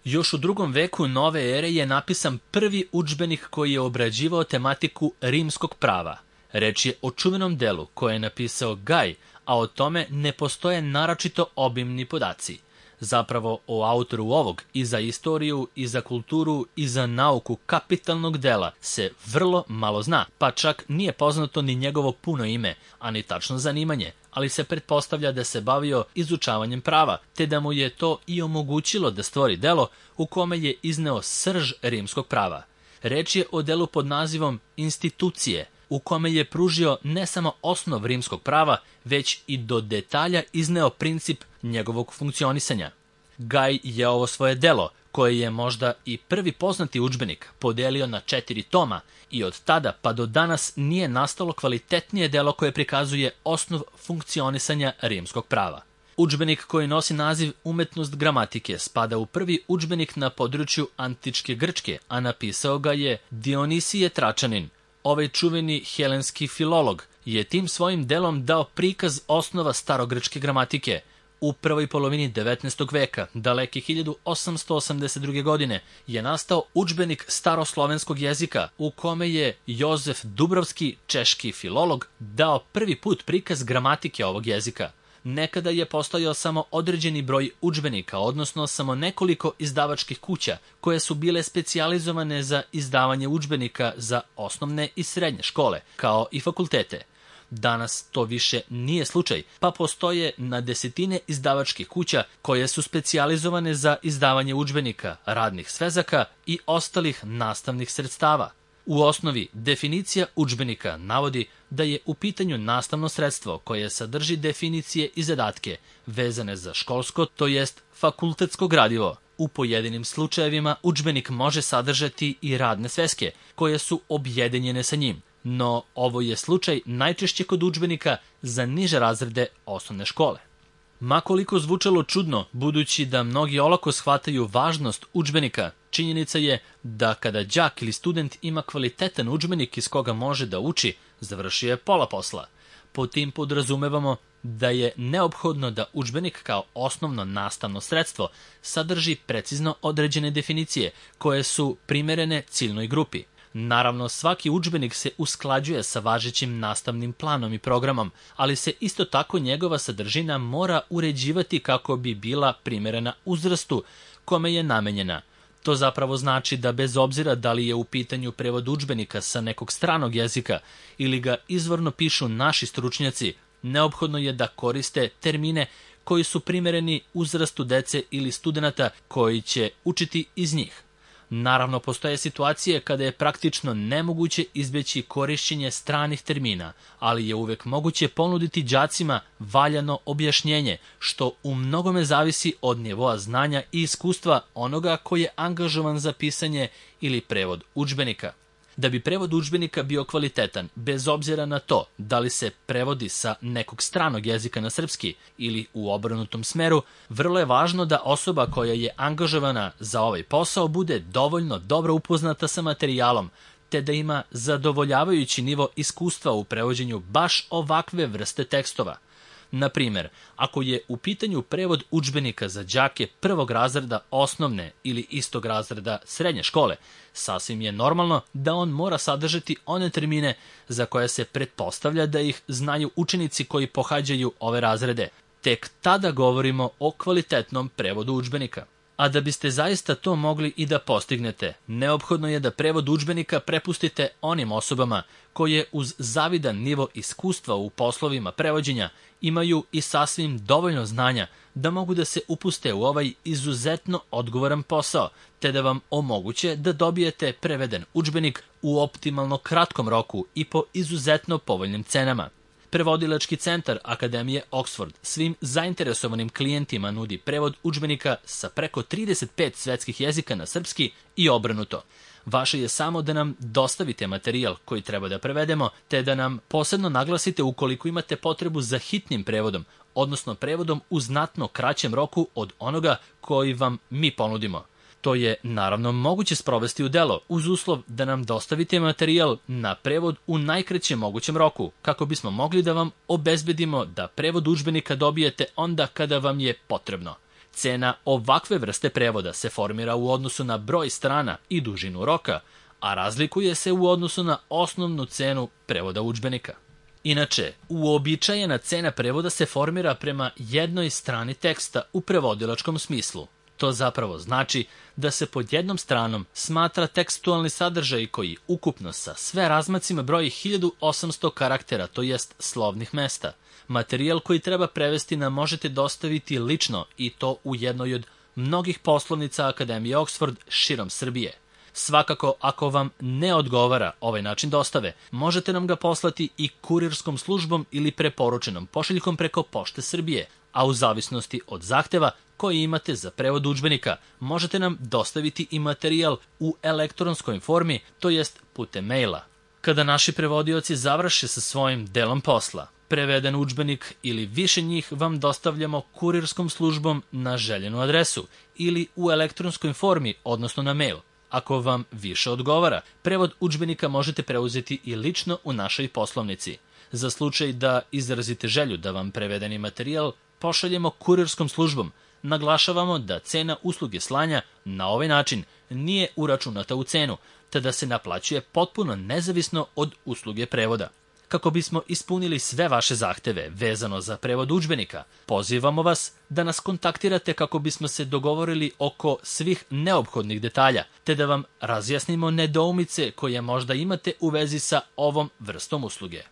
Još u drugom veku nove ere je napisan prvi udžbenik koji je obrađivao tematiku rimskog prava. Reč je o čuvenom delu koje je napisao Gaj, a o tome ne postoje naročito obimni podaci. Zapravo o autoru ovog i za istoriju, i za kulturu, i za nauku kapitalnog dela se vrlo malo zna, pa čak nije poznato ni njegovo puno ime, a ni tačno zanimanje, ali se pretpostavlja da se bavio izučavanjem prava, te da mu je to i omogućilo da stvori delo u kome je izneo srž rimskog prava. Reč je o delu pod nazivom Institucije, u kome je pružio ne samo osnov rimskog prava, već i do detalja izneo princip njegovog funkcionisanja. Gaj je ovo svoje delo, koje je možda i prvi poznati udžbenik, podelio na 4 toma i od tada pa do danas nije nastalo kvalitetnije delo koje prikazuje osnov funkcionisanja rimskog prava. Udžbenik koji nosi naziv Umetnost gramatike spada u prvi udžbenik na području antičke Grčke, a napisao ga je Dionisije Tračanin. Ovaj čuveni helenski filolog je tim svojim delom dao prikaz osnova starogrčke gramatike. U prvoj polovini 19. veka, daleke 1882. godine, je nastao udžbenik staroslovenskog jezika u kome je Jozef Dubrovski, češki filolog, dao prvi put prikaz gramatike ovog jezika. Nekada je postojao samo određeni broj udžbenika, odnosno samo nekoliko izdavačkih kuća koje su bile specijalizovane za izdavanje udžbenika za osnovne i srednje škole, kao i fakultete. Danas to više nije slučaj, pa postoje na desetine izdavačkih kuća koje su specijalizovane za izdavanje udžbenika, radnih svezaka i ostalih nastavnih sredstava. U osnovi, definicija udžbenika navodi da je u pitanju nastavno sredstvo koje sadrži definicije i zadatke vezane za školsko, to jest fakultetsko gradivo. U pojedinim slučajevima udžbenik može sadržati i radne sveske koje su objedinjene sa njim, no ovo je slučaj najčešće kod udžbenika za niže razrede osnovne škole. Ma koliko zvučalo čudno, budući da mnogi olako shvataju važnost udžbenika, činjenica je da kada đak ili student ima kvalitetan udžbenik iz koga može da uči, završio je pola posla. Po tim podrazumevamo da je neophodno da udžbenik kao osnovno nastavno sredstvo sadrži precizno određene definicije koje su primerene ciljnoj grupi. Naravno, svaki udžbenik se usklađuje sa važećim nastavnim planom i programom, ali se isto tako njegova sadržina mora uređivati kako bi bila primerena uzrastu kome je namenjena. To zapravo znači da bez obzira da li je u pitanju prevod udžbenika sa nekog stranog jezika ili ga izvorno pišu naši stručnjaci, neophodno je da koriste termine koji su primereni uzrastu dece ili studenata koji će učiti iz njih. Naravno, postoje situacije kada je praktično nemoguće izbjeći korišćenje stranih termina, ali je uvek moguće ponuditi đacima valjano objašnjenje, što u mnogome zavisi od nivoa znanja i iskustva onoga koji je angažovan za pisanje ili prevod udžbenika. Da bi prevod udžbenika bio kvalitetan, bez obzira na to da li se prevodi sa nekog stranog jezika na srpski ili u obrnutom smeru, vrlo je važno da osoba koja je angažovana za ovaj posao bude dovoljno dobro upoznata sa materijalom, te da ima zadovoljavajući nivo iskustva u prevođenju baš ovakve vrste tekstova. Na primer, ako je u pitanju prevod udžbenika za đake prvog razreda osnovne ili istog razreda srednje škole, sasvim je normalno da on mora sadržati one termine za koje se pretpostavlja da ih znaju učenici koji pohađaju ove razrede. Tek tada govorimo o kvalitetnom prevodu udžbenika. A da biste zaista to mogli i da postignete, neophodno je da prevod udžbenika prepustite onim osobama koje uz zavidan nivo iskustva u poslovima prevođenja imaju i sasvim dovoljno znanja da mogu da se upuste u ovaj izuzetno odgovoran posao, te da vam omoguće da dobijete preveden udžbenik u optimalno kratkom roku i po izuzetno povoljnim cenama. Prevodilački centar Akademije Oxford svim zainteresovanim klijentima nudi prevod udžbenika sa preko 35 svetskih jezika na srpski i obrnuto. Vaše je samo da nam dostavite materijal koji treba da prevedemo, te da nam posebno naglasite ukoliko imate potrebu za hitnim prevodom, odnosno prevodom u znatno kraćem roku od onoga koji vam mi ponudimo. To je naravno moguće sprovesti u delo uz uslov da nam dostavite materijal na prevod u najkraćem mogućem roku, kako bismo mogli da vam obezbedimo da prevod udžbenika dobijete onda kada vam je potrebno. Cena ovakve vrste prevoda se formira u odnosu na broj strana i dužinu roka, a razlikuje se u odnosu na osnovnu cenu prevoda udžbenika. Inače, uobičajena cena prevoda se formira prema jednoj strani teksta u prevodilačkom smislu. To zapravo znači da se pod jednom stranom smatra tekstualni sadržaj koji ukupno sa sve razmacima broji 1800 karaktera, to jest slovnih mesta. Materijal koji treba prevesti nam možete dostaviti lično i to u jednoj od mnogih poslovnica Akademije Oxford širom Srbije. Svakako, ako vam ne odgovara ovaj način dostave, možete nam ga poslati i kurirskom službom ili preporučenom pošiljkom preko Pošte Srbije, a u zavisnosti od zahteva koji imate za prevod udžbenika, možete nam dostaviti i materijal u elektronskoj formi, to jest putem maila. Kada naši prevodioci završe sa svojim delom posla, preveden udžbenik ili više njih vam dostavljamo kurirskom službom na željenu adresu ili u elektronskoj formi, odnosno na mail. Ako vam više odgovara, prevod udžbenika možete preuzeti i lično u našoj poslovnici. Za slučaj da izrazite želju da vam prevedeni materijal pošaljemo kurirskom službom, naglašavamo da cena usluge slanja na ovaj način nije uračunata u cenu, te da se naplaćuje potpuno nezavisno od usluge prevoda. Kako bismo ispunili sve vaše zahteve vezano za prevod udžbenika, pozivamo vas da nas kontaktirate kako bismo se dogovorili oko svih neophodnih detalja, te da vam razjasnimo nedoumice koje možda imate u vezi sa ovom vrstom usluge.